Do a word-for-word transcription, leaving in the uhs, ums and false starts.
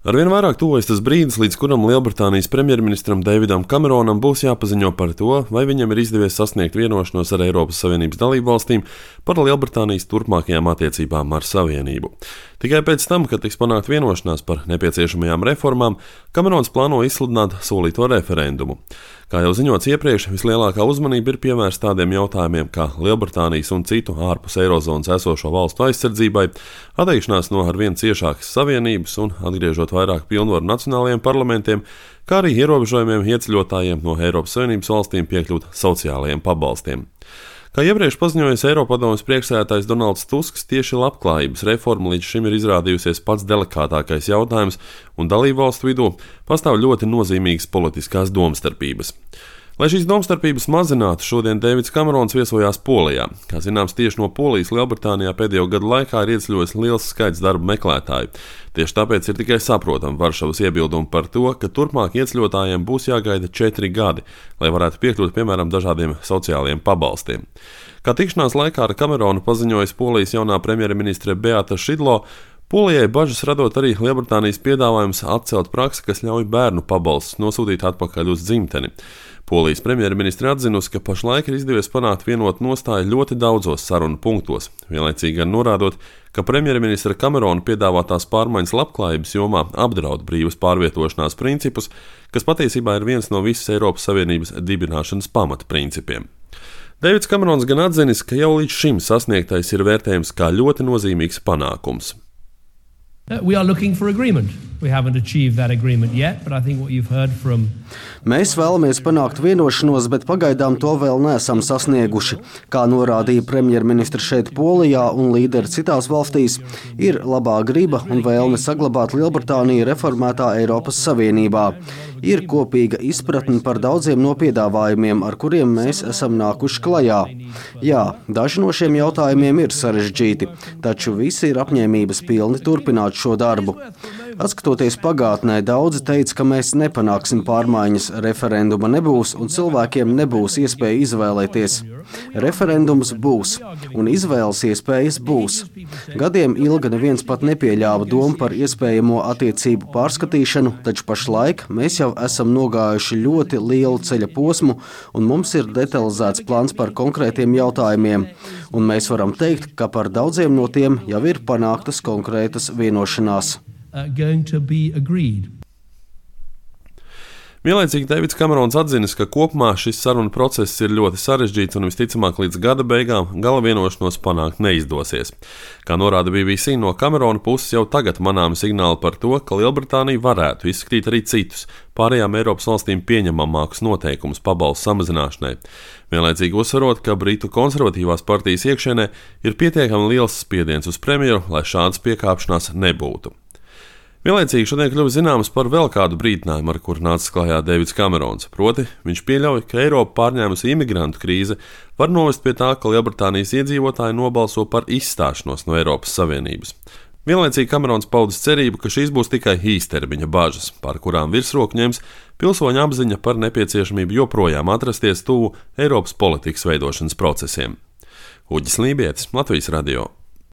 Arvien vairāk tuvojas tas brīdis, līdz kuram Lielbritānijas premjerministram Davidam Kameronam būs jāpaziņo par to, vai viņam ir izdevies sasniegt vienošanos ar Eiropas Savienības dalībvalstīm par Lielbritānijas turpmākajām attiecībām ar Savienību. Tikai pēc tam, kad tiks panākt vienošanās par nepieciešamajām reformām, Kamerons plāno izsludināt solīto referendumu. Kā jau ziņots iepriekš, vislielākā uzmanība ir pievērsta tādiem jautājumiem kā Lielbritānijas un citu ārpus eirozonas esošo valstu aizsardzībai, atteikšanās no arvien ciešākas savienības un atgriežot vairāk pilnvaru nacionālajiem parlamentiem, kā arī ierobežojumiem ieceļotājiem no Eiropas Savienības valstīm piekļūt sociālajiem pabalstiem. Kā iepriekš paziņojis Eiropadomes priekšsēdētājs Donalds Tusks, tieši labklājības reforma līdz šim ir izrādījusies pats delikātākais jautājums, un dalībvalstu vidū pastāv ļoti nozīmīgas politiskās domstarpības. Lai šīs domstarpības mazinātu, šodien Deivids Kamerons viesojās Polijā. Kā zināms, tieši no Polijas Lielbritānijā pēdējo gadu laikā ir ieceļojis liels skaits darba meklētāju. Tieši tāpēc ir tikai saprotama Varšavas iebildumi par to, ka turpmāk ieceļotājiem būs jāgaida četri gadi, lai varētu piekļūt, piemēram, dažādiem sociālajiem pabalstiem. Kā tikšanās laikā ar Kameronu paziņojas Polijas jaunā premjerministre Beata Šidlo, Polijai bažas radot arī Lielbritānijas piedāvājums atcelt praksi, kas ļauj bērnu pabalstus nosūtīt atpakaļ uz dzimteni. Polijas premjerministre atzinusi, ka pašlaik ir izdevies panākt vienotu nostāju ļoti daudzos sarunu punktos, vienlaicīgi gan norādot, ka premjerministra Kamerona piedāvātās pārmaiņas labklājības jomā apdraud brīvas pārvietošanās principus, kas patiesībā ir viens no visas Eiropas Savienības dibināšanas pamatprincipiem. Deivids Kamerons gan atzinis, ka jau līdz šim sasniegtais ir vērtējams kā ļoti nozīmīgs panākums. We are looking for agreement. We haven't achieved that agreement yet, but I think what you've heard from Mēs vēlamies panākt vienošanos, bet pagaidām to vēl neesam sasnieguši. Kā norādīja premjerministra šeit Polijā un līderi citās valstīs, ir labā griba un vēlme saglabāt Lielbritāniju reformētā Eiropas Savienībā. Ir kopīga izpratne par daudziem no piedāvājumiem, ar kuriem mēs esam nākuši klajā. Jā, daži no šiem jautājumiem ir sarežģīti, taču visi ir apņēmības pilni turpināt šo darbu. Atskatoties pagātnē, daudzi teica, ka mēs nepanāksim pārmaiņas, referenduma nebūs un cilvēkiem nebūs iespēja izvēlēties. Referendums būs, un izvēles iespējas būs. Gadiem ilgi neviens pat nepieļāva domu par iespējamo attiecību pārskatīšanu, taču pašlaik mēs jau esam nogājuši ļoti lielu ceļa posmu, un mums ir detalizēts plāns par konkrētiem jautājumiem, un mēs varam teikt, ka par daudziem no tiem jau ir panāktas konkrētas vienošanās. Vienlaicīgi Deivids Kamerons atzinis, ka kopumā šis sarunu process ir ļoti sarežģīts un visticamāk līdz gada beigām gala vienošanos panākt neizdosies. Kā norāda B B C, no Kamerona puses jau tagad manāmi signāli par to, ka Lielbritānija varētu izskatīt arī citus, pārējām Eiropas valstīm pieņemamākus noteikumus pabalstu samazināšanai. Vienlaicīgi uzsverot, ka Britu konservatīvās partijas iekšienē ir pietiekami liels spiediens uz premjeru, lai šādas piekāpšanās nebūtu. Vienlaicīgi šodien kļuva zināms par vēl kādu brīdinājumu, ar kuru nāca klajā Deivids Kamerons. Proti, viņš pieļauj, ka Eiropa pārņēmusi imigrantu krīze var novest pie tā, ka Lielbritānijas iedzīvotāji nobalso par izstāšanos no Eiropas Savienības. Vienlaicīgi Kamerons paudis cerību, ka šīs būs tikai īstermiņa bažas, par kurām virsroku ņems pilsoņu apziņa par nepieciešamību joprojām atrasties tuvu Eiropas politikas veidošanas procesiem. Uģis Lībietis, Latvijas radio.